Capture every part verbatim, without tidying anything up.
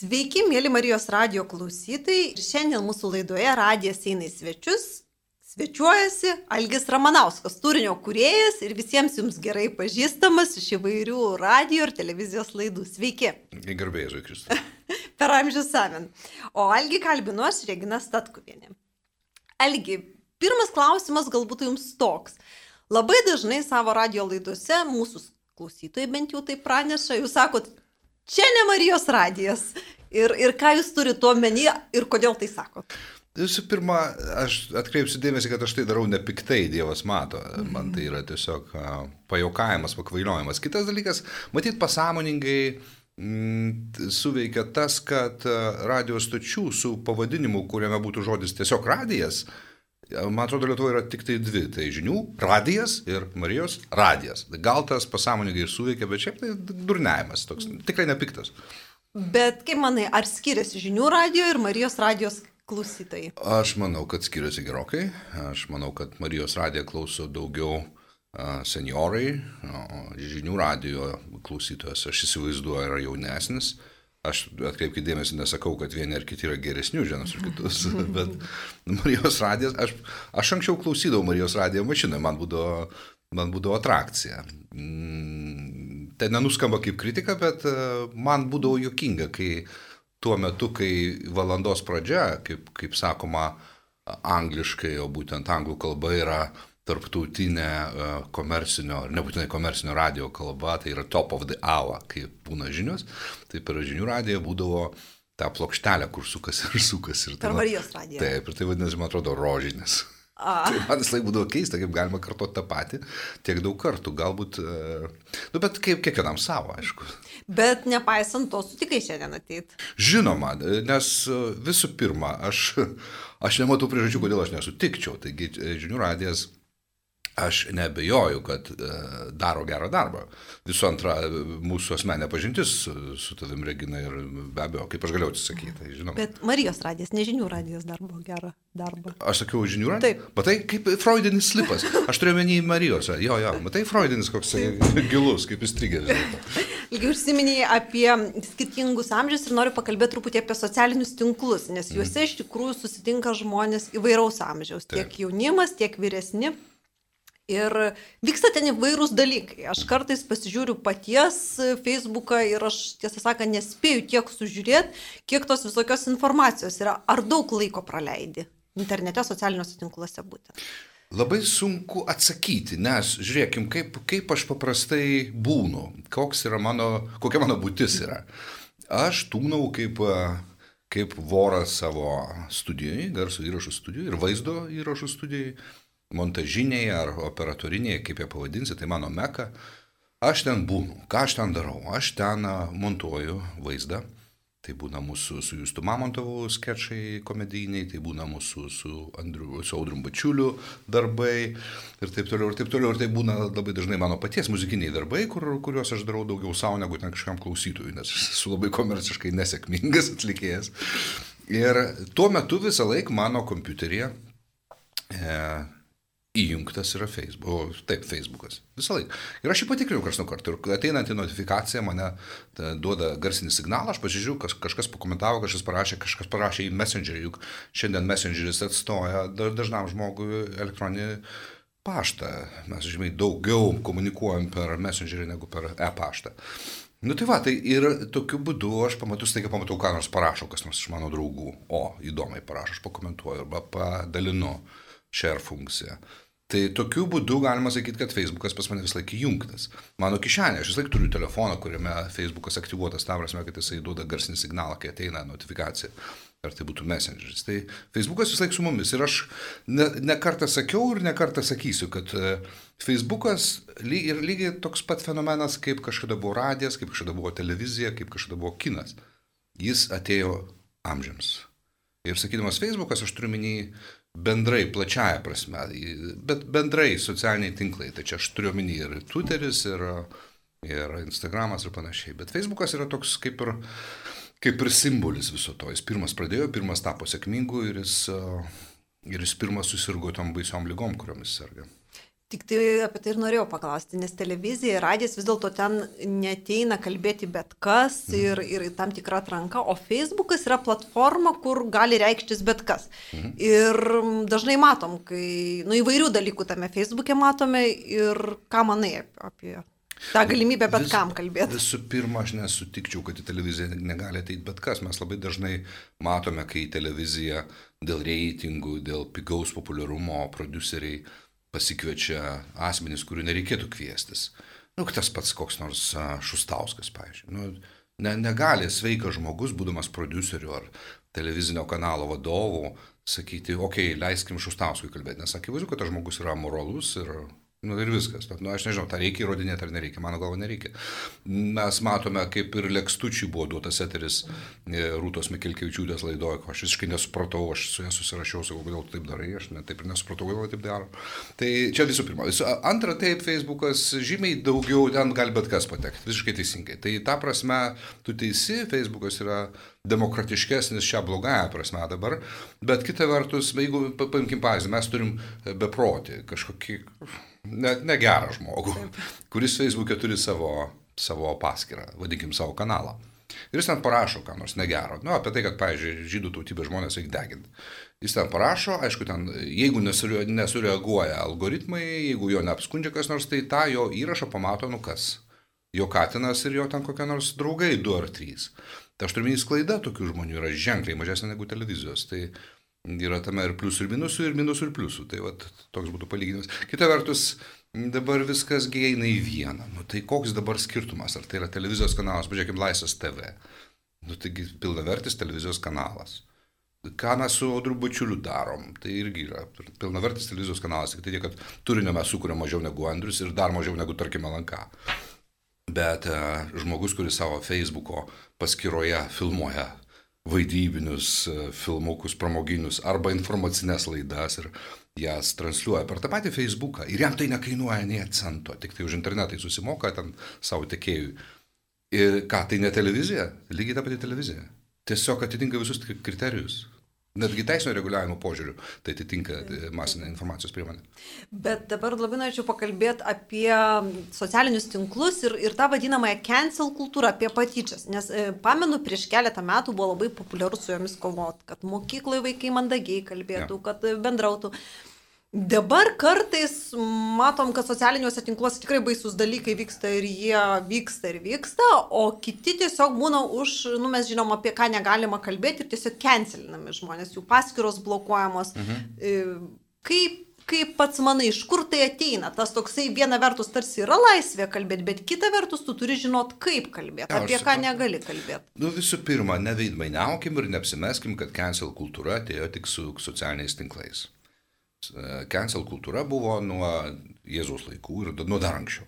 Sveiki, mėly Marijos radijo klausytojai. Ir šiandien mūsų laidoje radijas eina į svečius. Svečiuojasi Algis Ramanauskas, turinio kūrėjas ir visiems jums gerai pažįstamas iš įvairių radijo ir televizijos laidų. Sveiki. Garbė Jėzui Kristui. Per amžius amen. O Algį kalbinu aš, Regina Statkuvienė. Algi, pirmas klausimas galbūt jums toks. Labai dažnai savo radijo laidose mūsų klausytojai bent jau tai praneša, jūs sakot, čia ne Marijos radijas. Ir, ir ką jūs turite omeny ir kodėl tai sakot? Visų pirma, aš atkreipsiu dėmesį, kad aš tai darau nepiktai, Dievas mato. Man tai yra tiesiog pajaukavimas, pakvailiojimas. Kitas dalykas, matyt, pasąmoningai mm, suveikia tas, kad radio stočių su pavadinimu, kuriame būtų žodis tiesiog radijas, man atrodo, Lietuvoje yra tik tai dvi. Tai žinių radijas ir Marijos radijas. Gal tas pasąmoningai ir suveikia, bet šiaip tai durniavimas toks, tikrai nepiktas. Bet kaip manai, ar skiriasi žinių radijo ir Marijos radijos klausytojai? Aš manau, kad skiriasi gerokai. Aš manau, kad Marijos radiją klauso daugiau uh, seniorai, o žinių radijo klausytojas, aš įsivaizduoju, yra jaunesnis. Aš atkreipkite dėmesį, nesakau, kad vieni ar kiti yra geresnių vienas už kitus, bet Marijos radijas, aš, aš anksčiau klausydavau Marijos radijo mašiną, man būdavo, man būdavo atrakcija. Mm, tai nenuskamba kaip kritika, bet uh, man būdavo juokinga, kai tuo metu, kai valandos pradžia, kaip, kaip sakoma angliškai, o būtent anglų kalba yra tarptautinė komercinio, nebūtinai komercinio radio kalba, tai yra top of the hour, kai būna žinios, tai per žinių radiją būdavo tą plokštelę, kur sukas ir sukas. Ir per Marijos radiją. Taip, ir tai vadinasi, man atrodo, rožinis. Tai man vis laik būdavo keista, kaip galima kartuoti tą patį tiek daug kartų, galbūt, nu, bet kaip kiekvienam savo, aišku. Bet nepaisant to, sutikai šiandien ateit. Žinoma, nes visų pirma, aš, aš nematau priežasčių, kodėl aš nesutikčiau, taigi žinių radijas, aš neabejoju, kad daro gerą darbą. Visų antra, mūsų asmenė pažintis su, su tavim, Regina, ir be abejo, kaip aš galėjau atsisakyti, tai žinoma. Bet Marijos radijas, ne žinių radijas darbo gerą darbą. Aš sakiau žinių radiją? Taip. Matai, kaip freudinis slipas. Aš turiu menį Marijos. Jo, jo, matai, freudinis koks gilus, kaip įstrigęs. Ilgiau užsiminėjai apie skirtingus amžius ir noriu pakalbėti truputį apie socialinius tinklus, nes juose iš tikrųjų susitinka žmonės įvairaus amžiaus, tiek Taip. jaunimas, tiek vyresni. Ir vyksta ten įvairūs dalykai. Aš kartais pasižiūriu paties Facebooką ir aš, tiesą sakant, nespėju tiek sužiūrėti, kiek tos visokios informacijos yra. Ar daug laiko praleidi internete, socialiniuose tinkluose būtent? Labai sunku atsakyti, nes žiūrėkim, kaip, kaip aš paprastai būnu, koks yra mano, kokia mano būtis yra. Aš tūnau kaip, kaip voras savo studijai, garso įrašų studijai ir vaizdo įrašų studijai. Montažiniai ar operatoriniai, kaip jie pavadinsi, tai mano meka. Aš ten būnu. Ką aš ten darau? Aš ten montuoju vaizdą. Tai būna mūsų su Justu Mamontovu skečai komedijiniai, tai būna mūsų su, Andriu, su Audrium Bačiuliu darbai ir taip toliau, ir taip toliau. Ir tai būna labai dažnai mano paties muzikiniai darbai, kur, kuriuos aš darau daugiau savo negu ten kažkam klausytojui, nes esu labai komerciškai nesėkmingas atlikėjas. Ir tuo metu visą laiką mano kompiuteryje e, įjungtas yra Facebook, taip, Facebookas, visą laiką. Ir aš jį patikrinu karts nuo karto. Ir ateinantį notifikaciją mane duoda garsinį signalą, aš pasižiūriu, kas, kažkas pakomentavo, kažkas parašė, kažkas parašė į Messengerį, juk šiandien Messengeris atstoja dažnam žmogui elektroninį paštą. Mes, žinai, daugiau komunikuojam per Messengerį negu per e-paštą. Nu tai va, tai ir tokiu būdu aš pamatau, staiga pamatau, ką nors parašo, kas nors iš mano draugų. O, įdomiai parašo, aš pakomentuoju arba padalinu share funkciją. Tai tokiu būdu galima sakyti, kad Facebookas pas mane vis laik įjungtas. Mano kišenė, aš vis laik turiu telefoną, kuriame Facebookas aktyvuotas, tam prasme, kad jisai duoda garsinį signalą, kai ateina notifikacija. Ar tai būtų Messengeris. Tai Facebookas vis laik su mumis. Ir aš ne, ne kartą sakiau ir ne kartą sakysiu, kad Facebookas ly, ir lygiai toks pat fenomenas, kaip kažkada buvo radijas, kaip kažkada buvo televizija, kaip kažkada buvo kinas. Jis atėjo amžiams. Ir sakydamas Facebookas, aš turiu minį bendrai, plačiaja prasme, bet bendrai socialiniai tinklai. Tai čia aš turiu minį ir Twitteris, ir, ir Instagramas ir panašiai. Bet Facebookas yra toks kaip ir, kaip ir simbolis viso to. Jis pirmas pradėjo, pirmas tapo sėkmingu ir jis, ir jis pirmas susirgo tom baisiom lygom, kuriomis serga. Tik tai apie tai ir norėjau paklausti, nes televizija ir radijas vis dėlto ten neteina kalbėti bet kas Mhm. ir, ir tam tikra atranka, o Facebookas yra platforma, kur gali reikštis bet kas. Mhm. Ir dažnai matom, kai, nu, įvairių dalykų tame Facebook'e matome ir ką manai apie tą galimybę bet Vis- kam kalbėti. Visų pirma, aš nesutikčiau, kad į televiziją negali ateiti bet kas. Mes labai dažnai matome, kai į televiziją dėl reitingų, dėl pigaus populiarumo produceriai pasikviečia asmenys, kurių nereikėtų kviestis. Nu, tas pats koks nors a, Šustauskas, pavyzdžiui. Nu, ne, negali sveikas žmogus, būdamas produceriu ar televizinio kanalo vadovu, sakyti, okei, okay, leiskim Šustauskui kalbėti, nes akivaizdu, kad tas žmogus yra moralus ir, nu, ir viskas. Bet, nu, aš nežinau, tą reikia įrodinėti ar nereikia, mano galva nereikia. Mes matome, kaip ir Lekstučiui buvo duotas eteris e, Rūtos Mikilkevičiūtės laidoje, ko aš visiškai nesupratau, aš su ja susirašiau, sakau, kodėl tu taip darai, aš net taip ir nesupratau, kodėl taip daro. Tai čia visų pirma. Visų, antra, taip, Facebookas žymiai daugiau, ten gali bet kas patekti, visiškai teisingai. Tai ta prasme, tu teisi, Facebookas yra demokratiškesnis šią blogąją prasme dabar, bet kita vertus, jeigu paimkim pavyzdį, mes turim beprotį, kažkokį ne, negerą žmogų, kuris Facebook'e turi savo, savo paskyrą, vadinkim savo kanalą. Ir jis ten parašo, ką nors negero. Nu, apie tai, kad, pavyzdžiui, žydų tautybės žmonės reikia deginti. Jis ten parašo, aišku, ten, jeigu nesure, nesureaguoja algoritmai, jeigu jo neapskundžia kas nors, tai tą jo įrašą pamato, nu kas. Jo katinas ir jo ten kokie nors draugai, du ar trys. Tai aš turiu minį sklaida tokių žmonių yra ženkliai mažesnė negu televizijos. Tai yra tame ir pliusų ir minusų, ir minusų ir pliusų. Tai vat, toks būtų palyginimas. Kita vertus, dabar viskas eina į vieną. Nu, tai koks dabar skirtumas? Ar tai yra televizijos kanalas? Pažiūrėkime, Laisvės T V. Nu, taigi pilnavertis televizijos kanalas. Ką mes su Audriu Bačiuliu darom? Tai irgi yra pilnavertis televizijos kanalas. Tik tai tiek, kad turinio mes sukūrėm mažiau negu Andrius ir dar mažiau negu, tarkime, L N K. Bet uh, žmogus, kuris savo Facebooko paskyroje filmuoja vaidybinius uh, filmukus, pramoginius arba informacinės laidas ir jas transliuoja per tą patį Facebooką ir jam tai nekainuoja nei cento, tik tai už internetą susimoka ten savo tekėjui. Ir ką, tai ne televizija? Lygiai ta pati televizija. Tiesiog atitinka visus kriterijus. Netgi teisinio reguliavimo požiūrių tai atitinka masinę informacijos priemonę. Bet dabar labai norėčiau pakalbėti apie socialinius tinklus ir, ir tą vadinamąją cancel kultūrą, apie patyčias. Nes e, pamenu, prieš keletą metų buvo labai populiaru su jomis kovoti, kad mokykloje vaikai mandagiai kalbėtų, ja. Kad bendrautų. Dabar kartais matom, kad socialiniuose tinkluose tikrai baisus dalykai vyksta ir jie vyksta ir vyksta, o kiti tiesiog būna už, nu mes žinom, apie ką negalima kalbėti ir tiesiog cancelinami žmonės, jų paskyros blokuojamos. Mhm. Kaip, kaip pats manai, iš kur tai ateina? Tas toksai viena vertus tarsi yra laisvė kalbėti, bet kita vertus tu turi žinot, kaip kalbėti, ja, apie ką negali kalbėti. Nu visų pirma, neveidmainiaukim ir neapsimeskim, kad cancel kultūra atėjo tik su socialiniais tinklais. Cancel kultūra buvo nuo Jėzaus laikų ir nuo dar anksčiau.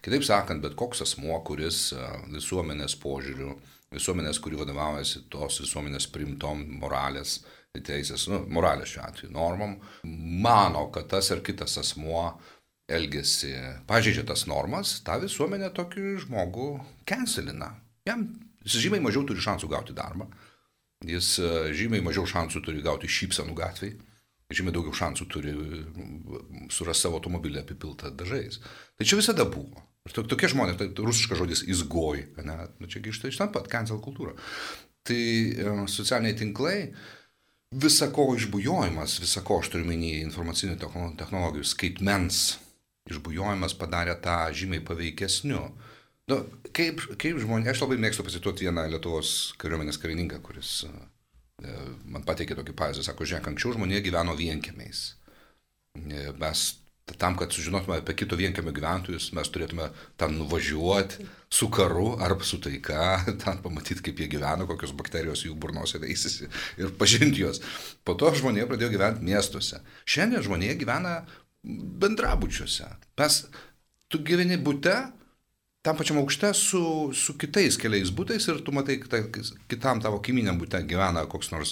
Kitaip sakant, bet koks asmuo, kuris visuomenės požiūrių, visuomenės, kuri vadovaujasi tos visuomenės priimtom moralės, teisės, nu, moralės šiuo atveju normom, mano, kad tas ar kitas asmuo elgesi, pažeidžia tas normas, tą visuomenę tokį žmogų cancelina. Jam jis žymiai mažiau turi šansų gauti darbą, jis žymiai mažiau šansų turi gauti šypsenų gatvėj. Žymiai daugiau šansų turi surasti savo automobilį apipiltą dažais. Tai čia visada buvo. Ir to, tokie žmonės, tai rusiškas žodis izgoj, ne? Nu, čia iš ten pat, cancel kultūra. Tai e, socialiniai tinklai, visako išbujojimas, visako aš turiu menį informacinių technologijų skaitmens išbujojimas padarė tą žymiai paveikesniu. Nu, kaip, kaip žmonės, aš labai mėgstu pasituoti vieną Lietuvos kariuomenės karininką, kuris man pateikė tokį pavyzdį, sako, žiūrėk, anksčiau žmonė gyveno vienkiemiais. Mes tam, kad sužinotume apie kito vienkiemio gyventojus, mes turėtume ten nuvažiuoti su karu arba su taika, ten pamatyti, kaip jie gyveno, kokios bakterijos jų burnose veisėsi ir pažinti juos. Po to žmonė pradėjo gyventi miestuose. Šiandien žmonė gyvena bendrabučiuose. Mes, tu gyveni bute, tam pačiam aukšte su, su kitais keliais butais ir tu matai, kad kitam tavo kaiminiam bute gyvena koks nors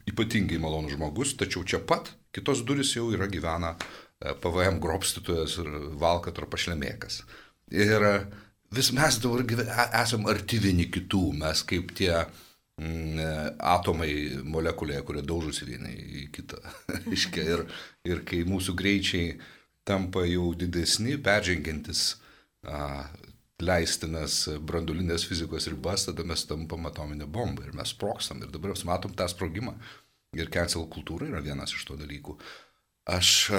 ypatingai malonus žmogus, tačiau čia pat kitos durys jau yra gyvena P V M grobstytojas ir valkat ar pašlemėkas. Ir vis mes dabar esam arti vieni kitų, mes kaip tie mm, atomai molekulėje, kurie daužosi vieni į kitą. ir, ir kai mūsų greičiai tampa jau didesni, peržengiantis a, leistinas branduolinės fizikos ribas, tada mes tampam atominę bombą ir mes sprogstam. Ir dabar mes matom tą sprogimą. Ir cancel kultūra yra vienas iš to dalykų. Aš,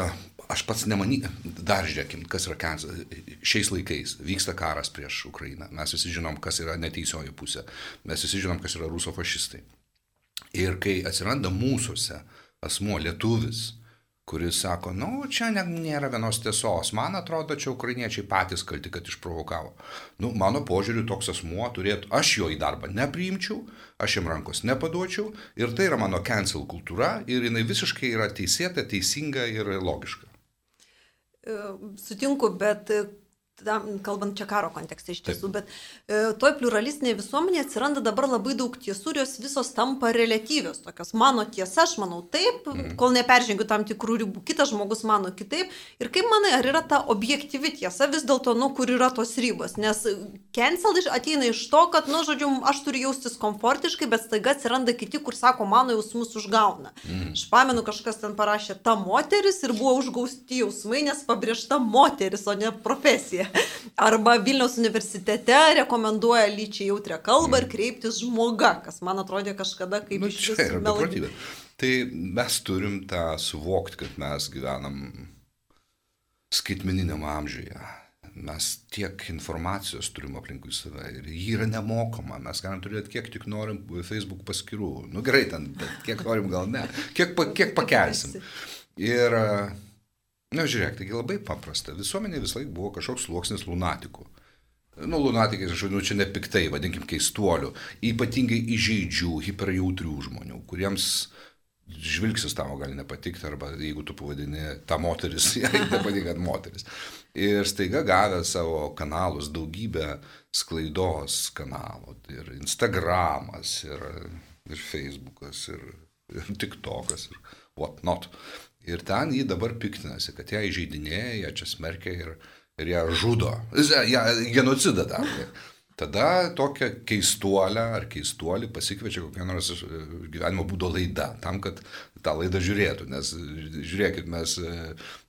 aš pats nemany, dar žiūrėkim, kas yra cancel. Šiais laikais vyksta karas prieš Ukrainą. Mes visi žinom, kas yra neteisioji pusė. Mes visi žinom, kas yra rusofašistai. Ir kai atsiranda mūsuose asmuo lietuvis, kuris sako, nu, čia nėra vienos tiesos, man atrodo, čia ukrainiečiai patys kalti, kad išprovokavo. Nu, mano požiūriu, toks asmuo turėtų, aš jo į darbą nepriimčiau, aš jam rankos nepaduočiau ir tai yra mano cancel kultūra ir jinai visiškai yra teisėta, teisinga ir logiška. Sutinku, bet tam, kalbant čia karo kontekste iš tiesų, bet e, toj pluralistinėje visuomenėje atsiranda dabar labai daug tiesų ir jos visos tampa reliatyvios, tokios mano tiesa, aš manau taip, mm. kol neperžengiu tam tikrų ribų, kitas žmogus mano kitaip. Ir kaip manai, ar yra ta objektyvi tiesa vis dėlto, nu, kur yra tos ribos? Nes cancel ateina iš to, kad, nu, žodžiu, aš turiu jaustis komfortiškai, bet staiga atsiranda kiti, kur sako, mano jausmus užgauna. Mm. Aš pamenu, kažkas ten parašė ta moteris ir buvo užgausti jausmai, nes pabrėžta moteris, o ne profesija. Arba Vilniaus universitete rekomenduoja lyčiai jautrią kalbą ir kreiptis žmoga, kas man atrodė kažkada kaip nu, iš visų melagybė. Tai mes turim tą suvokti, kad mes gyvenam skaitmeniniam amžiuje. Mes tiek informacijos turim aplinkui save ir ji yra nemokama. Mes galim turėti kiek tik norim Facebook paskyrų. Nu gerai, ten, kiek norim gal ne. Kiek, kiek pakelsim. Ir na, žiūrėk, taigi labai paprasta. Visuomenė vis laik buvo kažkoks sluoksnis lunatikų. Nu, lunatikai, aš vadinu, čia ne piktai, vadinkim keistuolių, ypatingai įžeidžių, hiperjautrių žmonių, kuriems žvilgsis tavo gali nepatikti, arba jeigu tu pavadini tą moteris, jai nepatinka moteris. Ir staiga gavę savo kanalus, daugybę sklaidos kanalų, ir Instagramas, ir, ir Facebookas, ir, ir TikTokas, ir what not. Ir ten jį dabar piktinasi, kad ją įžeidinėja, ją čia smerkia ir, ir ją žudo. Ją genocidą daro. Tada tokią keistuolę ar keistuolį pasikviečia kokią nors gyvenimo būdo laidą, tam, kad tą laidą žiūrėtų. Nes žiūrėkit, mes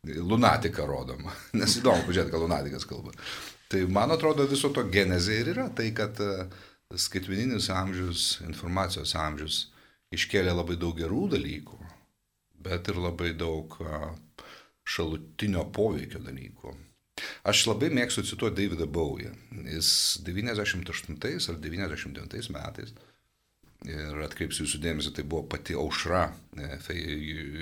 lunatiką rodom. Nes įdomu, pažiūrėti, ką lunatikas kalba. Tai man atrodo viso to genezė ir yra tai, kad skaitmeninis amžius, informacijos amžius iškėlė labai daug gerų dalykų, bet ir labai daug šalutinio poveikio dalykų. Aš labai mėgstu cituoti Davidą Bowie. Jis devyniasdešimt aštuntais ar devyniasdešimt devintais metais, ir atkreipsiu jūsų dėmesį, tai buvo pati aušra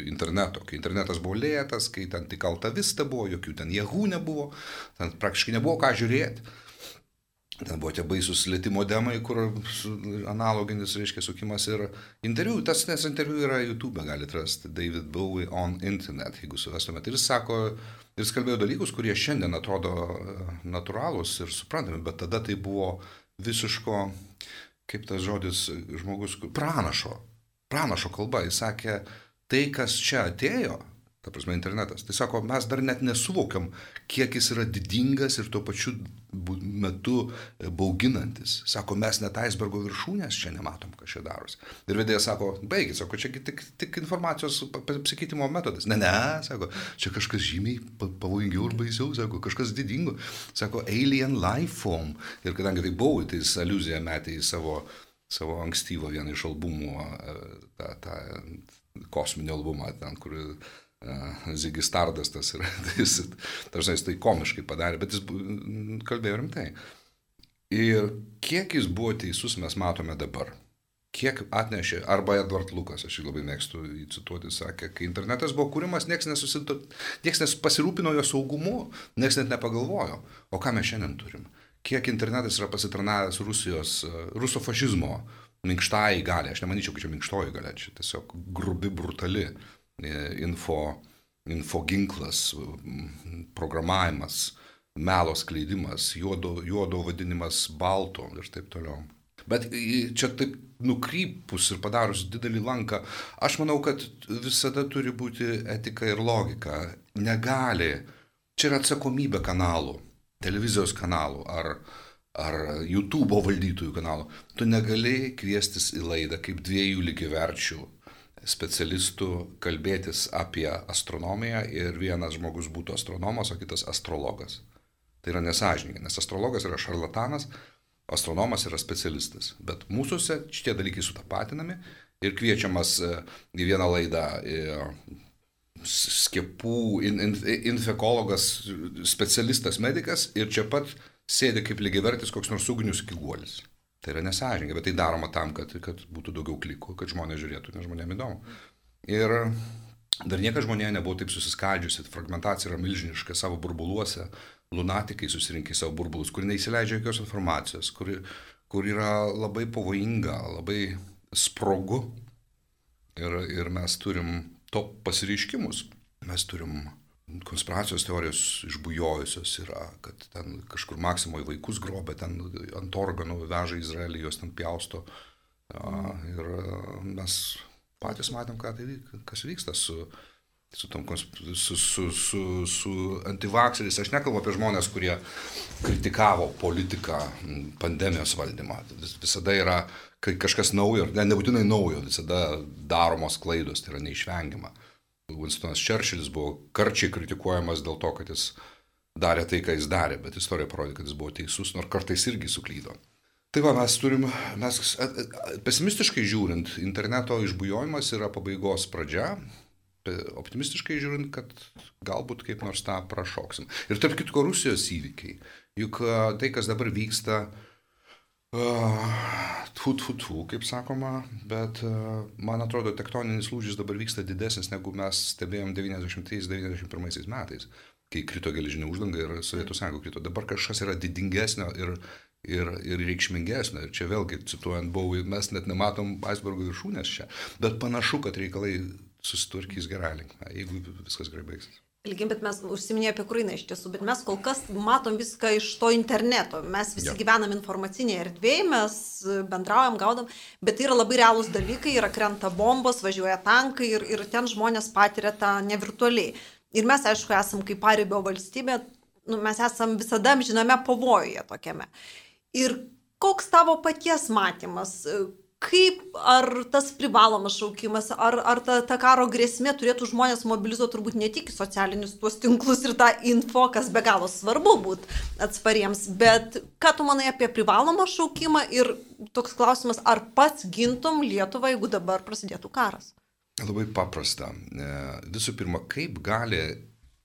interneto. Kai internetas buvo lėtas, kai ten tik Alta Vista buvo, jokių ten Yahoo nebuvo, ten praktiškai nebuvo ką žiūrėti. Ten buvo tie baisus lėtimo demai, kur analoginis, reiškia, sukimas ir interviu. Tas nes interviu yra YouTube, galite rasti David Bowie on Internet, jeigu suvestumėte. Ir jis sako, ir jis kalbėjo dalykus, kurie šiandien atrodo natūralūs ir suprantami, bet tada tai buvo visiško, kaip tas žodis žmogus, pranašo, pranašo kalba. Jis sakė, tai, kas čia atėjo, ta prasme internetas, tai sako, mes dar net nesuvokiam, kiek jis yra didingas ir tuo pačiu metu bauginantis. Sako, mes net aisbergo viršūnės čia nematom, kas čia darosi. Ir vedėjas sako, baigit, sako, čia tik, tik informacijos apsikeitimo metodas. Ne, ne, sako, čia kažkas žymiai pavojingiau ir baisiau, sako, kažkas didingo. Sako, alien life form. Ir kadangi tai buvo, tai jis aliuziją metė į savo, savo ankstyvo vieną iš albumų, tą, tą kosminį albumą, ten, kur Ziggy Stardust tas yra, jis, tarsi jis tai komiškai padarė, bet jis kalbėjo rimtai. Ir kiek jis buvo teisus, mes matome dabar. Kiek atnešė, arba Edward Lucas, aš jį labai mėgstu cituoti, sakė, kai internetas buvo kūrimas, nieks, nesusito, nieks nepasirūpino jo saugumu, nieks net nepagalvojo. O ką mes šiandien turim? Kiek internetas yra pasitarnavęs Rusijos, rusofašizmo minkštai galia. Aš nemanyčiau, kad čia minkštoji galia, čia tiesiog grubi, brutali. Info, info ginklas, programavimas, melo skleidimas, juodo, juodo vadinimas balto ir taip toliau. Bet čia taip nukrypus ir padarus didelį lanką, aš manau, kad visada turi būti etika ir logika. Negali, čia yra atsakomybė kanalų, televizijos kanalų ar, ar YouTube valdytojų kanalų, tu negali kviestis į laidą kaip dviejų lygiaverčių specialistų kalbėtis apie astronomiją ir vienas žmogus būtų astronomas, o kitas astrologas. Tai yra nesąžininga, nes astrologas yra šarlatanas, astronomas yra specialistas. Bet mūsųse šitie dalykai sutapatinami ir kviečiamas į vieną laidą skiepų in, in, infekologas, specialistas, medikas ir čia pat sėdi kaip lygiavertis koks nors ugnius kiguolis. Tai yra nesąžininga, bet tai daroma tam, kad, kad būtų daugiau klikų, kad žmonės žiūrėtų, nes žmonėms įdomu. Ir dar niekas žmonėje nebuvo taip susiskaldžiusi, fragmentacija yra milžiniška savo burbuluose, lunatikai susirinkę į savo burbulus, kur neįsileidžia jokios informacijos, kur, kur yra labai pavojinga, labai sprogu. Ir, ir mes turim to pasireiškimus. Mes turim konspiracijos teorijos išbujojusios yra, kad ten kažkur Maksimoje vaikus grobė, ten ant organų veža Izraelį, jos ten pjausto. Ir mes patys matėm, ką tai, kas vyksta su, su, tom, su, su, su, su antivakseriais. Aš nekalbu apie žmonės, kurie kritikavo politiką, pandemijos valdymą. Visada yra kažkas naujo, ne, nebūtinai naujo, visada daromos klaidos, tai yra neišvengiama. Winstonas Churchillis buvo karčiai kritikuojamas dėl to, kad jis darė tai, ką jis darė, bet istorija parodė, kad jis buvo teisus, nors kartais irgi suklydo. Tai va, mes turim, mes pesimistiškai žiūrint, interneto išbujojimas yra pabaigos pradžia, optimistiškai žiūrint, kad galbūt kaip nors tą prašoksim. Ir tarp kitko Rusijos įvykiai, juk tai, kas dabar vyksta, tfu, tfu, tfu, kaip sakoma, bet uh, man atrodo, tektoninis lūžis dabar vyksta didesnis, negu mes stebėjom devyniasdešimtais devyniasdešimt pirmaisiais metais, kai krito geležinė uždanga ir Sovietų Sąjunga krito. Dabar kažkas yra didingesnio ir, ir, ir reikšmingesnio. Ir čia vėlgi, cituojant Bowie, mes net nematom aisbergo viršūnės čia, bet panašu, kad reikalai susitvarkys gerą linkmę, jeigu viskas gerai baigsis. Ilgi, bet mes užsiminėjome apie Ukrainą iš tiesų, bet mes kol kas matom viską iš to interneto. Mes visi ja. gyvenam informacinėje erdvėje, mes bendraujam, gaudam, bet tai yra labai realūs dalykai, yra krenta bombos, važiuoja tankai ir, ir ten žmonės patiria tą nevirtualiai. Ir mes, aišku, esam kaip paribio valstybė, nu, mes esam visada amžiname pavojuje tokiame. Ir koks tavo paties matymas? Kaip, ar tas privalomas šaukimas, ar, ar ta, ta karo grėsmė turėtų žmonės mobilizuoti turbūt ne tik socialinius tuos tinklus ir tą info, kas be galo svarbu būti atspariems, bet ką tu manai apie privalomą šaukimą ir toks klausimas, ar pats gintum Lietuvą, jeigu dabar prasidėtų karas? Labai paprasta. Visų pirma, kaip gali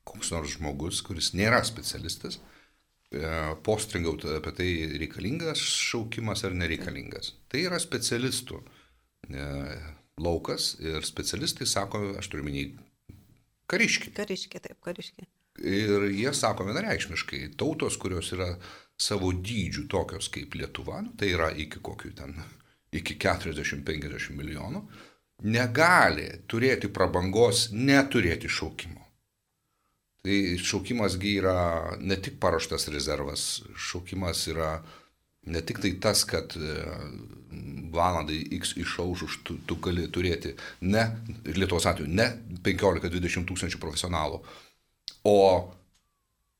koks nors žmogus, kuris nėra specialistas, postringauti apie tai reikalingas šaukimas ar nereikalingas. Tai yra specialistų laukas ir specialistai sako, aš turiu minį, kariškiai. Kariškiai, taip, kariškiai. Ir jie sako vienareikšmiškai, tautos, kurios yra savo dydžių tokios kaip Lietuva, tai yra iki kokių ten, iki keturiasdešimt penkiasdešimt milijonų, negali turėti prabangos neturėti šaukimo. Tai šaukimasgi yra ne tik paruoštas rezervas, šaukimas yra ne tik tai tas, kad valandai X išaušus tu, tu gali turėti ne, Lietuvos atveju, ne penkiolika dvidešimt tūkstančių profesionalų, o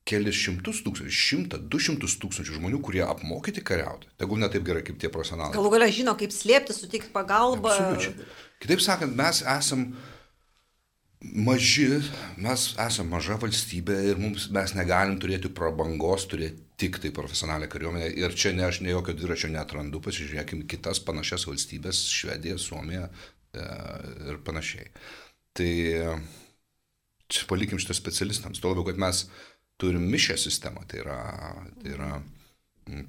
kelis šimtus tūkstančių, šimtą, du šimtus tūkstančių žmonių, kurie apmokyti kariauti. Tegul ne taip gerai kaip tie profesionalai. Galų galia žino, kaip slėpti, suteikti pagalbą. Absoliučiai. Kitaip sakant, mes esam maži, mes esame maža valstybė ir mums, mes negalim turėti prabangos, turėti tik tai profesionalią kariuomenę. Ir čia ne, aš ne jokio dviračio netrandu, pasižiūrėkime kitas panašias valstybės, Švedija, Suomija e, ir panašiai. Tai čia palikim šitą specialistams. Tuo labiau, kad mes turim mišę sistemą, tai yra, tai yra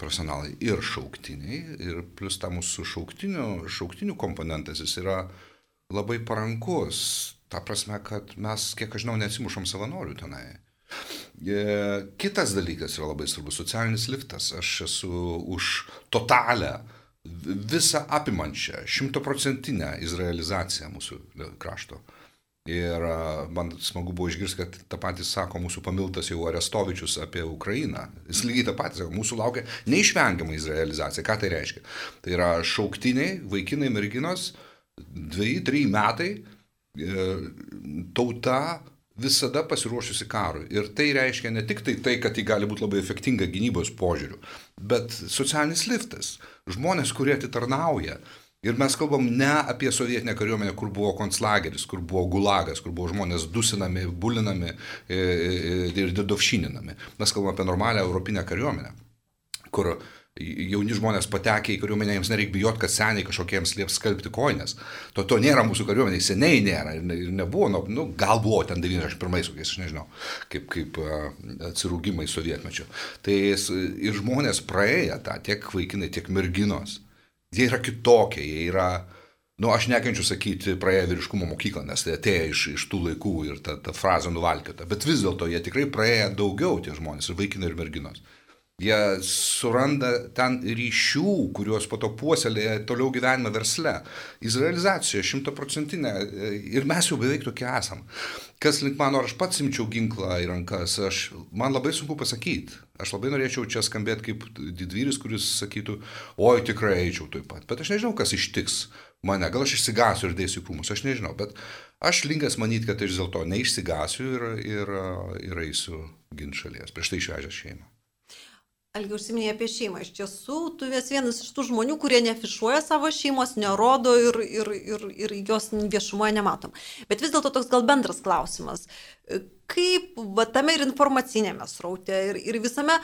profesionalai ir šauktiniai, ir plus ta mūsų šauktinių, šauktinių komponentas, jis yra labai parankus. Ta prasme, kad mes, kiek aš žinau, neatsimušom savanorių tenai. Kitas dalykas yra labai svarbus, socialinis liftas. Aš esu už totalę, visą apimančią, šimtaprocentinę izraelizaciją mūsų krašto. Ir man smagu buvo išgirsti, kad tą patį sako mūsų pamiltas jau Arestovičius apie Ukrainą. Jis lygiai tą patį sako, mūsų laukia neišvengiama izraelizacija. Ką tai reiškia? Tai yra šauktiniai, vaikinai, merginos, dviejai, trijai metai, tauta visada pasiruošusi karui. Ir tai reiškia ne tik tai, tai kad ji gali būti labai efektinga gynybos požiūriu, bet socialinis liftas. Žmonės, kurie atitarnauja. Ir mes kalbam ne apie sovietinę kariuomenę, kur buvo konclageris, kur buvo gulagas, kur buvo žmonės dusinami, bulinami ir dedovšininami. Mes kalbam apie normalią europinę kariuomenę, kur jauni žmonės patekę į kariuomenę, jiems nereikia bijoti, kad seniai kažkokiems lieps skalbti koinės. To, to nėra mūsų kariuomeniai, seniai nėra ir, ne, ir nebuvo, nu, nu, gal buvo ten devyniasdešimt pirmais, kokiais, aš nežinau, kaip, kaip uh, atsirūgimai sovietmečio. Tai ir žmonės praėję tą, tiek vaikinai, tiek merginos, jie yra kitokie, jie yra, nu, aš nekenčiu sakyti praėję vyriškumo mokyklą, nes tai atėjo iš, iš tų laikų ir ta, ta frazė nuvalkiota, bet vis dėlto jie tikrai praėję daugiau tie žmonės, ir vaikinai, ir merginos. Jie suranda ten ryšių, kuriuos po to puoselėja toliau gyvenime versle. Izraelizacija šimtaprocentinė ir mes jau beveik tokie esam. Kas link mano, ar aš pats imčiau ginklą į rankas, aš, man labai sunku pasakyti. Aš labai norėčiau čia skambėti kaip didvyris, kuris sakytų, oi tikrai eičiau tuoj pat. Bet aš nežinau, kas ištiks mane. Gal aš išsigasiu ir dėsiu krūmus, aš nežinau. Bet aš linkęs manyti, kad aš vis dėlto neišsigasiu ir, ir, ir eisiu ginti šalies. Prieš tai išvežęs šeimą. Algi užsiminė apie šeimą. Iš tiesų, tu esi vienas iš tų žmonių, kurie nefišuoja savo šeimos, nerodo ir, ir, ir, ir jos viešumoje nematom. Bet vis dėlto toks gal bendras klausimas. Kaip va, tame ir informacinėme sraute ir, ir visame,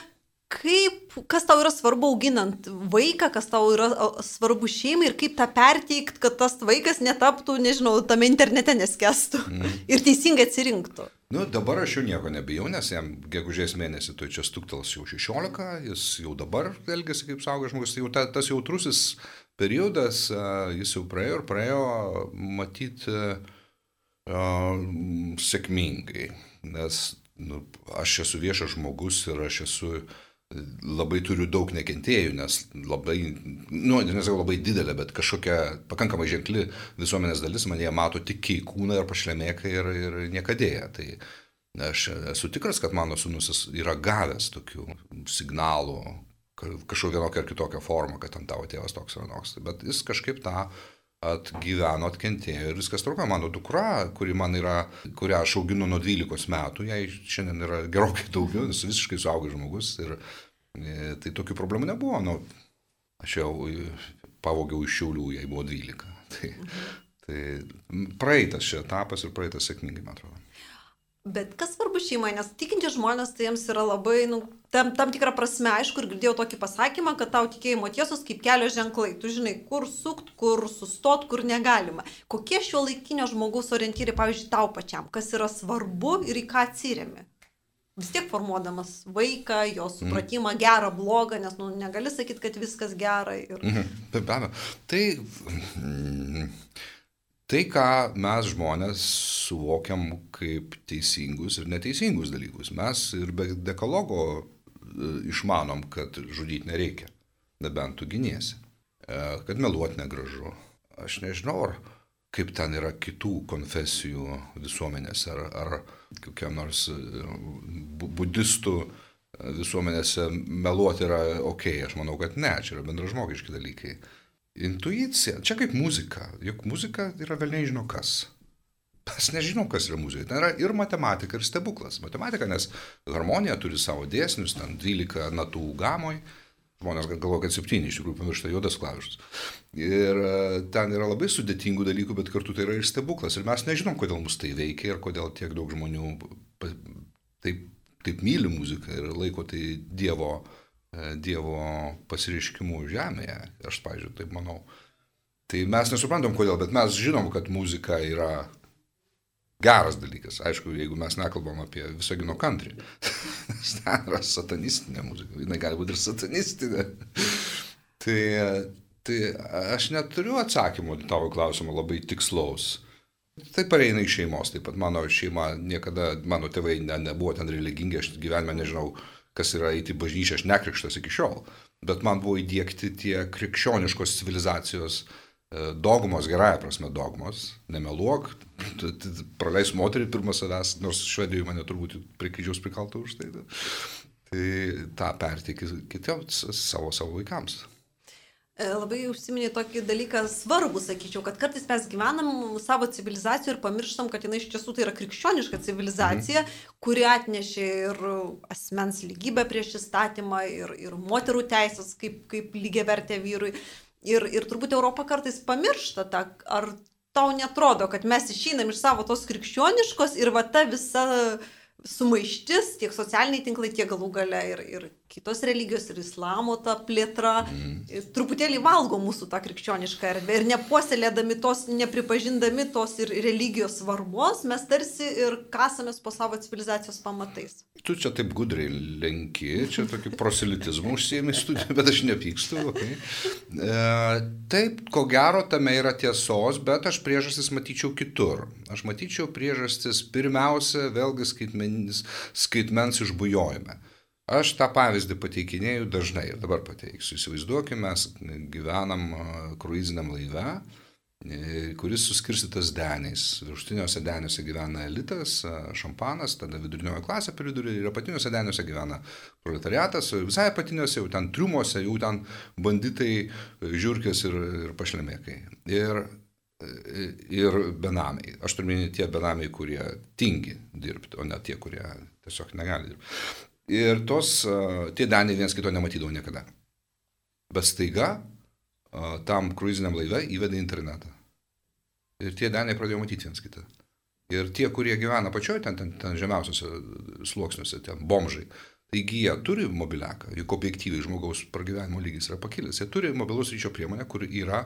kaip, kas tau yra svarbu auginant vaiką, kas tau yra svarbu šeimai ir kaip tą perteikti, kad tas vaikas netaptų, nežinau, tame internete neskestų mm. ir teisingai atsirinktų. Nu, dabar aš jau nieko nebijau, nes jam gegužės mėnesį tu čia stuktels jau šešiolika, jis jau dabar elgiasi kaip suaugęs žmogus, tai jau ta, tas jautrusis periodas, jis jau praėjo ir praėjo matyti uh, sėkmingai, nes nu, aš esu viešas žmogus ir aš esu labai turiu daug nekentėjų, nes labai, nu, nesakau labai didelė, bet kažkokia pakankamai ženkli visuomenės dalis mane mato tik į kūną ir pašlemėką ir, ir niekadėję. Tai aš esu tikras, kad mano sūnus yra gavęs tokių signalų, kažkokią vienokią ar kitokią formą, kad ant tavo tėvas toks ar anoks. Bet jis kažkaip tą atgyveno, atkentėjo ir viskas tvarkoja. Mano dukra, kuri man yra, kurią aš auginu nuo dvylikos metų, jai šiandien yra gerokai daugiau, nes visiškai suaugęs žmogus ir e, tai tokių problemų nebuvo. Nu, aš jau pavogiau iš Šiaulių, jai buvo dvylika. Tai, tai praeitas šia etapas ir praeitas sėkmingai, man atrodo. Bet kas svarbu šeimai, nes tikinti žmonės, tai jiems yra labai, nu, tam, tam tikrą prasme, aišku, ir girdėjau tokį pasakymą, kad tau tikėjimo tiesos kaip kelio ženklai. Tu žinai, kur sukt, kur sustot, kur negalima. Kokie šio laikinio žmogaus orientyrai, pavyzdžiui, tau pačiam, kas yra svarbu ir į ką atsiremi? Vis tiek formuodamas vaiką, jo supratimą, mm. gerą, blogą, nes nu, negali sakyti, kad viskas gera. Ir... Mm-hmm. Be abejo. Tai... Mm, Tai, ką mes žmonės suvokiam kaip teisingus ir neteisingus dalykus. Mes ir be dekalogo išmanom, kad žudyti nereikia, nebent tu giniesi, kad meluoti negražu. Aš nežinau, ar kaip ten yra kitų konfesijų visuomenėse, ar, ar kokiam nors budistų visuomenėse meluoti yra ok. Aš manau, kad ne, čia yra bendražmogiški dalykai. Intuicija, čia kaip muzika, juk muzika yra velniai žino kas. Mes nežinom, kas yra muzika. Ten yra ir matematika, ir stebuklas. Matematika, nes harmonija turi savo dėsnius, ten dvylika natų gamoj, žmonės galvoja, kad septyni, iš tikrųjų pamiršta juodas klavišas. Ir ten yra labai sudėtingų dalykų, bet kartu tai yra ir stebuklas. Ir mes nežinom, kodėl mus tai veikia ir kodėl tiek daug žmonių taip, taip myli muziką ir laiko tai Dievo Dievo pasireiškimų žemėje, aš, pavyzdžiui, taip manau. Tai mes nesuprantam kodėl, bet mes žinom, kad muzika yra geras dalykas. Aišku, jeigu mes nekalbam apie Visagino country, ten yra satanistinė muzika, jinai gali būti ir satanistinė. Tai, tai aš neturiu atsakymų tavo klausimą labai tikslaus. Tai pareina iš šeimos, taip pat mano šeima niekada, mano tėvai ne, nebuvo ten religingi, aš gyvenime nežinau, kas yra eiti į bažnyčią, aš nekrikštas iki šiol, bet man buvo įdiegti tie krikščioniškos civilizacijos dogmos, gerąja prasme dogmos, nemeluok, praleis moterį pirmą savęs, nors Švedijoje mane turbūt prie kryžiaus prikalta už tai. Tai tą perteikti kitiems savo, savo vaikams. Labai užsiminė tokį dalyką svarbų, sakyčiau, kad kartais mes gyvenam savo civilizaciją ir pamirštam, kad jinai iš tiesų tai yra krikščioniška civilizacija, mhm. kuri atnešė ir asmens lygybę prieš įstatymą, ir, ir moterų teisės kaip, kaip lygiavertė vyrui. Ir, ir turbūt Europa kartais pamiršta tą, ar tau netrodo, kad mes išeinam iš savo tos krikščioniškos ir va ta visa sumaištis, tiek socialiniai tinklai, tiek galų gale ir, ir kitos religijos, ir islamo ta plėtra, mm. truputėlį valgo mūsų tą krikščionišką erdvę ir nepuoselėdami tos, nepripažindami tos ir religijos svarbos, mes tarsi ir kasamės po savo civilizacijos pamatais. Tu čia taip gudriai lenki, čia tokį proselitizmą užsiėmė studiją, bet aš nepykstu. Okay. E, taip, ko gero, tame yra tiesos, bet aš priežastis matyčiau kitur. Aš matyčiau priežastis pirmiausia, vėlgi skaitmenis, skaitmens išbujojime. Aš tą pavyzdį pateikinėjau dažnai ir dabar pateiksiu. Įsivaizduokime, mes gyvenam kruiziniam laive, kuris suskirstytas deniais. Viršutiniuose deniuose gyvena elitas, šampanas, tada vidurinioji klasė per vidurį ir apatiniuose deniuose gyvena proletariatas, visai apatiniuose, jau ten triumuose, jau ten banditai, žiurkės ir, ir pašlemėkai. Ir, ir benamiai. Aš turiu minėti tie benamiai, kurie tingi dirbti, o ne tie, kurie tiesiog negali dirbti. Ir tos, tie deniai vienas kito nematydavo niekada. Bet staiga tam kruiziniam laive įvedė internetą. Ir tie deniai pradėjo matyti vienas kitą. Ir tie, kurie gyvena pačioje, ten, ten, ten žemiausiuose sluoksniuose, ten bomžai, taigi jie turi mobiliaką, juk objektyviai žmogaus pragyvenimo lygis yra pakilęs. Jie turi mobilaus ryšio priemonę, kur yra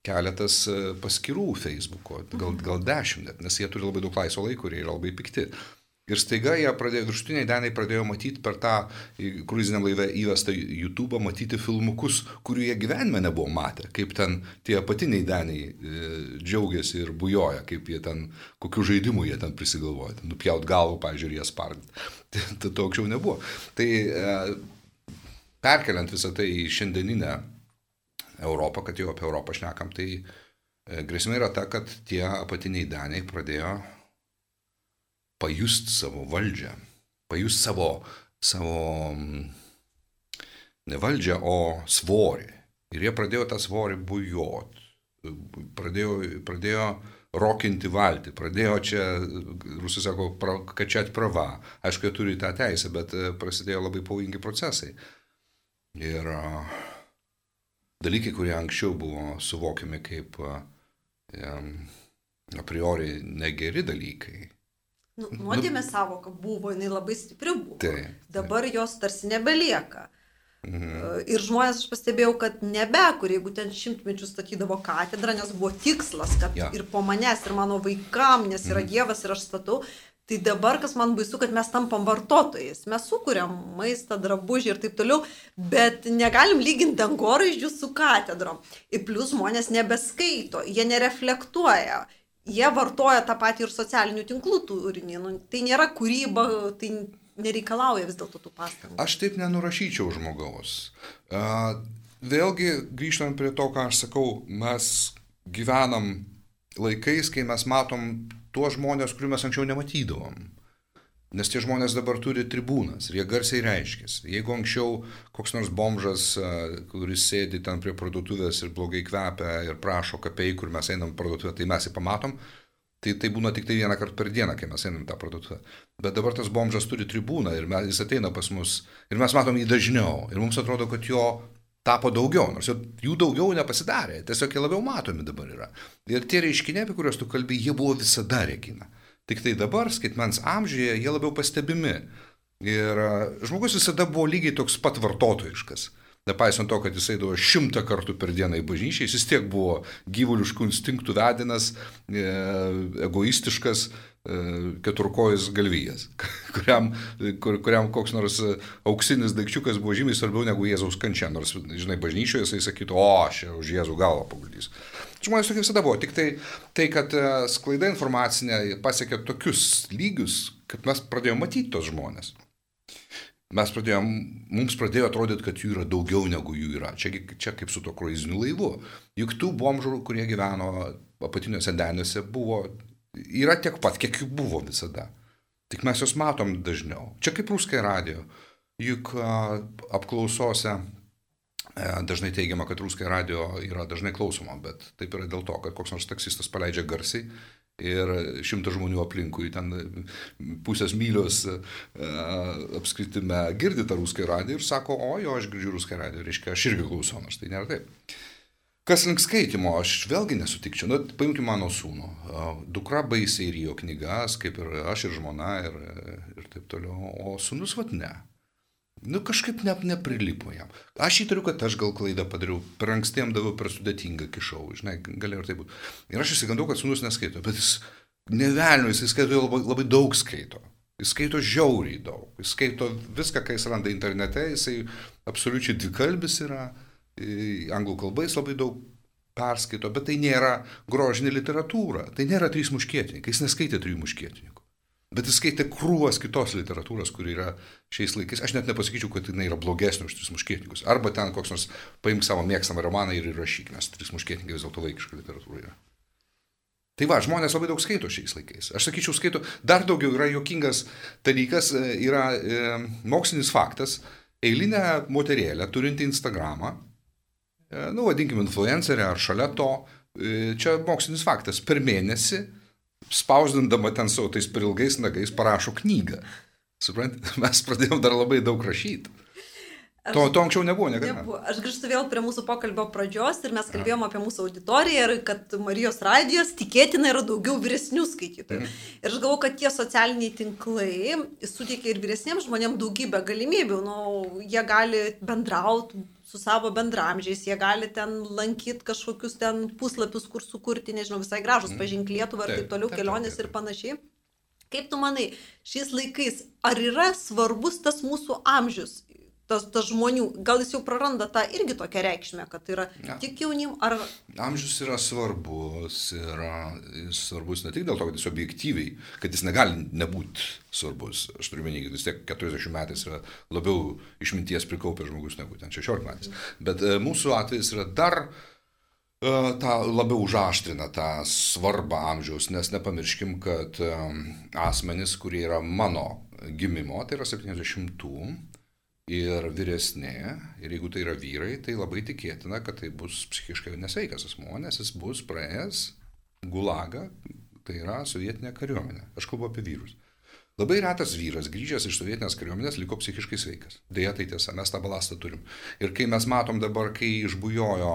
keletas paskyrų Facebooko, gal, gal dešimt net, nes jie turi labai daug laisvo laiko ir jie yra labai pikti. Ir staiga jie pradėjo, viršutiniai deniai pradėjo matyti per tą kruiziniam laive įvestą YouTube'ą, matyti filmukus, kurių jie gyvenime nebuvo matę, kaip ten tie apatiniai deniai e, džiaugiasi ir bujoja, kaip jie ten, kokių žaidimų jie ten prisigalvoja, ten nupjaut galvą, pavyzdžiui, ir jie spardyti. Tai, tai to anksčiau nebuvo. Tai e, perkeliant visą tai į šiandieninę Europą, kad jau apie Europą šnekam, tai e, grėsmė yra ta, kad tie apatiniai deniai pradėjo pajust savo valdžią, pajust savo, savo ne valdžią, o svorį. Ir jie pradėjo tą svorį bujot, pradėjo, pradėjo rokinti valtį, pradėjo čia, rusai sako, pra, kačiat prava. Aišku, jie turi tą teisę, bet prasidėjo labai pavojingi procesai. Ir uh, dalykai, kurie anksčiau buvo suvokiami kaip um, a priori negeri dalykai, Nu, nuodėmė savoka buvo, jinai labai stipri buvo. Taip, Dabar jos tarsi nebelieka. Mhm. Ir žmonės, aš pastebėjau, kad nebekur, jeigu ten šimtmečius statydavo katedrą, nes buvo tikslas, kad ja. ir po manęs, ir mano vaikam, nes yra mhm. Dievas ir aš statau, tai dabar, kas man baisu, kad mes tampam vartotojais. Mes sukuriam maistą, drabužį ir taip toliau, bet negalim lyginti dangoraižių su katedrom. Ir plus žmonės nebeskaito, jie nereflektuoja. Jie vartoja tą patį ir socialinių tinklų turinį. Nu, tai nėra kūryba, tai nereikalauja vis dėlto tų pastangų. Aš taip nenurašyčiau žmogaus. Uh, vėlgi, grįžtant prie to, ką aš sakau, mes gyvenam laikais, kai mes matom tuos žmonės, kurių mes anksčiau nematydavom. Nes tie žmonės dabar turi tribūnas ir jie garsiai reiškiasi. Jeigu anksčiau koks nors bomžas, kuris sėdi ten prie parduotuvės ir blogai kvepia ir prašo kapei, kur mes einam parduotuvę, tai mes jį pamatom, tai tai būna tik tai vieną kartą per dieną, kai mes einam tą parduotuvę. Bet dabar tas bomžas turi tribūną ir mes, jis ateina pas mus ir mes matom jį dažniau. Ir mums atrodo, kad jo tapo daugiau, nors jų daugiau nepasidarė, tiesiog jie labiau matomi dabar yra. Ir tie reiškiniai, apie kuriuos tu kalbi, jie buvo visada, Regina. Tik tai dabar, skaitmens amžiuje, jie labiau pastebimi. Ir žmogus visada buvo lygiai toks pat vartotojiškas. Nepaisant to, kad jis eidavo šimtą kartų per dieną į bažnyčią, jis vis tiek buvo gyvuliškų instinktų vedinas, egoistiškas, keturkojis galvijas, kuriam, kur, kuriam koks nors auksinis daikčiukas buvo žymiai svarbiau negu Jėzaus kančia. Nors, žinai, bažnyčioje jisai sakytų, o, aš už Jėzų galvą paguldys. Žmonės tokie visada buvo, tik tai, tai kad sklaida informacinė pasiekė tokius lygius, kad mes pradėjome matyti tos žmonės. Mes pradėjom, mums pradėjo atrodyti, kad jų yra daugiau negu jų yra. Čia, čia kaip su to kruiziniu laivu. Juk tų bomžų, kurie gyveno apatiniuose deniuose, buvo, yra tiek pat, kiek jų buvo visada. Tik mes juos matom dažniau. Čia kaip Ruskai radio. Juk a, apklausose Dažnai teigiama, kad Ruskaya radio yra dažnai klausoma, bet taip yra dėl to, kad koks nors taksistas paleidžia garsiai ir šimtas žmonių aplinkui ten pusės mylios apskritime girdi tą Ruskaya radio ir sako, o jo, aš girdžiu Ruskaya radio, reiškia, aš irgi klausau, nors tai nėra taip. Kas link skaitimo, aš vėlgi nesutikčiau. Nu, paimkime mano sūnų. Dukra baisiai rijo knygas, kaip ir aš ir žmona ir, ir taip toliau, o sūnus vat ne. Nu, kažkaip ne, neprilipo jam. Aš įtariu, kad aš gal klaidą padariau, per ankstiem daviau, per sudėtingą kišau, žinai, galėjo ir taip būti. Ir aš įsigandau, kad sūnus neskaito, bet jis nevelnio, jis skaito labai, labai daug skaito. Jis skaito žiauriai daug. Jis skaito viską, ką jis randa internete, jisai absoliučiai dvikalbis yra. Anglų kalbais labai daug perskaito, bet tai nėra grožinė literatūra, tai nėra trys muškietininkai, jis neskaitė trijų muškietininkų, bet jis skaitė krūvas kitos literatūros, kuri yra šiais laikais, aš net nepasakyčiau, kad jinai yra blogesnė už tris muškietininkus, arba ten koks nors paimk savo mėgstamą romaną ir įrašyk, nes trys muškietininkai vis dėlto vaikiška literatūra yra. Tai va, žmonės labai daug skaito šiais laikais. Aš sakyčiau, skaito, dar daugiau yra juokingas dalykas, yra e, mokslinis faktas, eilinė moterėlė turinti Instagramą, nu, vadinkime influencerė ar šalia to, čia mokslinis faktas, per mėnesį, spausdindama ten savo tais per ilgais nagais, parašo knygą. Suprantate, mes pradėjom dar labai daug rašyti. Aš, to, to anksčiau nebuvo, niekada. Nebuvo. Aš grįžtu vėl prie mūsų pokalbio pradžios ir mes kalbėjom apie mūsų auditoriją ir kad Marijos radijos tikėtina yra daugiau vyresnių skaitytojų. Mm. Ir aš galvoju, kad tie socialiniai tinklai suteikia ir vyresniems žmonėms daugybę galimybių. Nu, jie gali bendrauti su savo bendramžiais, jie gali ten lankyti kažkokius ten puslapius, kur sukurti, nežinau, visai gražus, mm. pažink Lietuvą ir taip toliau, kelionės ir panašiai. Kaip tu manai, šiais laikais, ar yra svarbus tas mūsų amžius? Tas, tas žmonių, gal jis jau praranda tą irgi tokią reikšmę, kad yra ja. Tik jaunim, ar... Amžius yra svarbus, yra jis svarbus ne tik dėl to, kad jis objektyviai, kad jis negali nebūti svarbus. Aš turiu menį, kad vis tiek keturiasdešimt metais yra labiau išminties prikaupęs žmogus negu ten šešiolika metais. Bet e, mūsų atvejis yra dar e, tą labiau užaštrina tą svarbą amžiaus, nes nepamirškim, kad e, asmenys, kurie yra mano gimimo, tai yra septyniasdešimtų, ir vyresnė, ir jeigu tai yra vyrai, tai labai tikėtina, kad tai bus psichiškai nesveikas asmuo, nes jis bus praėjęs gulagą, tai yra sovietinė kariuomenė. Aš kalbu apie vyrus. Labai retas vyras grįžęs iš sovietinės kariuomenės liko psichiškai sveikas. Deja, tai tiesa, mes tą balastą turim. Ir kai mes matom dabar, kai išbujojo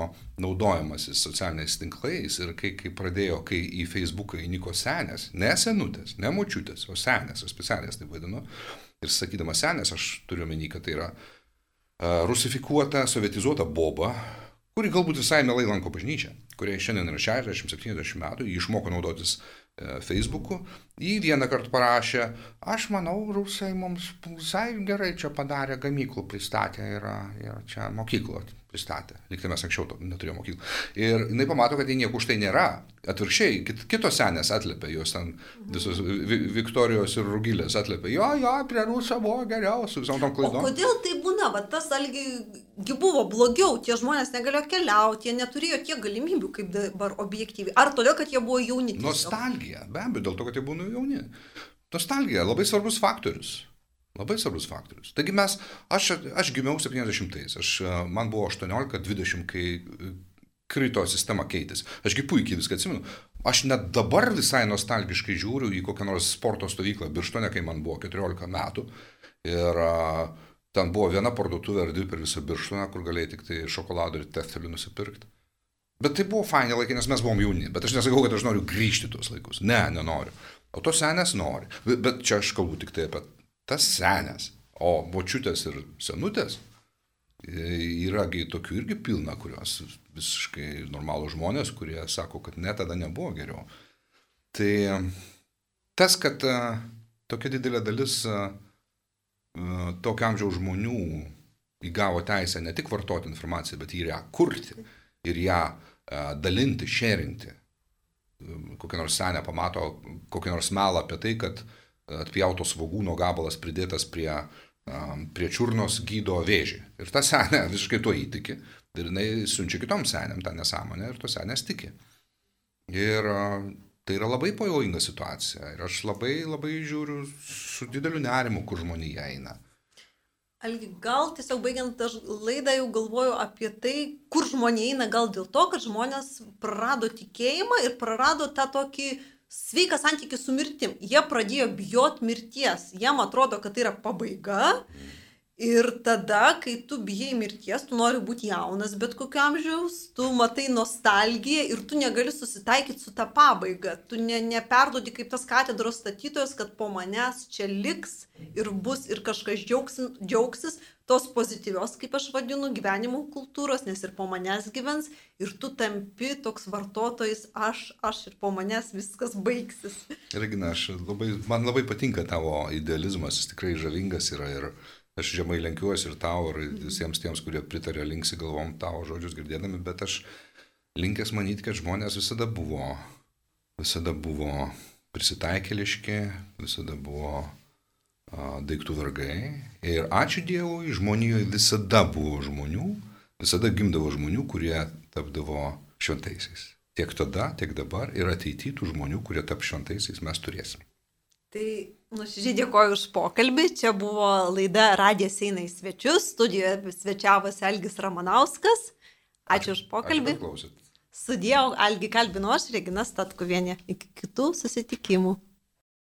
naudojimasis socialiniais tinklais ir kai, kai pradėjo, kai į Facebooką įniko senės, ne senutės, ne močiutės, o senės, o specialės taip vadinu, ir sakydama senės, aš turiu omeny, kad tai yra uh, rusifikuota, sovietizuota boba, kuri galbūt visai mielai lanko bažnyčią, kuriai šiandien yra šešiasdešimt septyniasdešimt metų, jį išmoko naudotis uh, Facebooku, jį vieną kartą parašė, aš manau, rusai mums visai gerai čia padarė, gamyklų pristatė ir, ir čia mokyklą pristatė. Lyg tai mes anksčiau neturėjome mokyklą. Ir jinai pamato, kad jie nieko už tai nėra. Atvirkščiai, kitos senės atliepia, jos ten visos Viktorijos ir Rugilės atliepia. Jo, jo, prie Ruso buvo geriau, su visom tom klaidom. O kodėl tai būna? Va, tas algi buvo blogiau, tie žmonės negalėjo keliauti, jie neturėjo tiek galimybių, kaip dabar objektyviai. Ar todėl, kad jie buvo jauni? Nostalgija, be abejo, dėl to, kad jie buvo jauni. Nostalgija, labai svarbus faktorius. Labai svarbus faktorius. Taigi mes, aš, aš gimiau septyniasdešimtais, aš, man buvo aštuoniolika dvidešimt, kai krito sistema keitėsi. Ašgi puikiai viską atsimenu. Aš net dabar visai nostalgiškai žiūriu į kokią nors sporto stovyklą Birštone, kai man buvo keturiolika metų. Ir a, ten buvo viena parduotuvė ar dvi per visą Birštoną, kur galėjai tik tai šokoladų ir teftelį nusipirkti. Bet tai buvo faini laikai, nes mes buvom jauni. Bet aš nesakau, kad aš noriu grįžti tuos laikus. Ne, nenoriu. O tos senės nori. Bet čia aš kalbu tik tai apie tas senės, o močiutės ir senutės yragi tokių irgi pilna, kurios visiškai normalų žmonės, kurie sako, kad ne, tada nebuvo geriau. Tai tas, kad tokia didelė dalis tokio amžiaus žmonių įgavo teisę ne tik vartoti informaciją, bet ir ją kurti, ir ją dalinti, šėrinti. Kokia nors senė pamato kokią nors melą apie tai, kad atpjautos svogūno gabalas pridėtas prie, prie čiurnos gydo vėžį. Ir ta senė visiškai tuo įtiki. Ir jinai siunčia kitom senėm tą nesąmonę ir tos senės tiki. Ir tai yra labai pavojinga situacija. Ir aš labai, labai žiūriu su dideliu nerimu, kur žmonija eina. Algi, gal tiesiog baigiant aš laidą jau galvoju apie tai, kur žmonė eina, gal dėl to, kad žmonės prarado tikėjimą ir prarado tą tokį sveiką santykį su mirtim. Jie pradėjo bijot mirties. Jiem atrodo, kad tai yra pabaiga. Ir tada, kai tu bijai mirties, tu nori būti jaunas bet kokio amžiaus, tu matai nostalgiją ir tu negali susitaikyti su tą pabaigą. Tu ne, neperdodi kaip tas katedros statytojas, kad po manęs čia liks ir bus ir kažkas džiaugsis, džiaugsis tos pozityvios, kaip aš vadinu, gyvenimo kultūros, nes ir po manęs gyvens ir tu tampi toks vartotojas, aš, aš ir po manęs viskas baigsis. Regina, aš labai, man labai patinka tavo idealizmas, jis tikrai žavingas yra ir aš žemai lenkiuosi ir tau, ir visiems tiems, kurie pritarė, linksi galvom tavo žodžius girdėdami, bet aš linkęs manyti, kad žmonės visada buvo, visada buvo prisitaikėliški, visada buvo a, daiktų vergai. Ir ačiū Dievui, žmonijoje visada buvo žmonių, visada gimdavo žmonių, kurie tapdavo šventaisiais. Tiek tada, tiek dabar ir ateityje tų žmonių, kurie tap šventaisiais, mes turėsim. Tai nuoširdžiai dėkoju už pokalbį. Čia buvo laida Radijas eina į svečius. Studijoje svečiavosi Algis Ramanauskas. Ačiū, ačiū už pokalbį. Ačiū, kad klausėt. Sudėjau, Algį kalbinu aš, Regina Statkuvienė. Iki kitų susitikimų.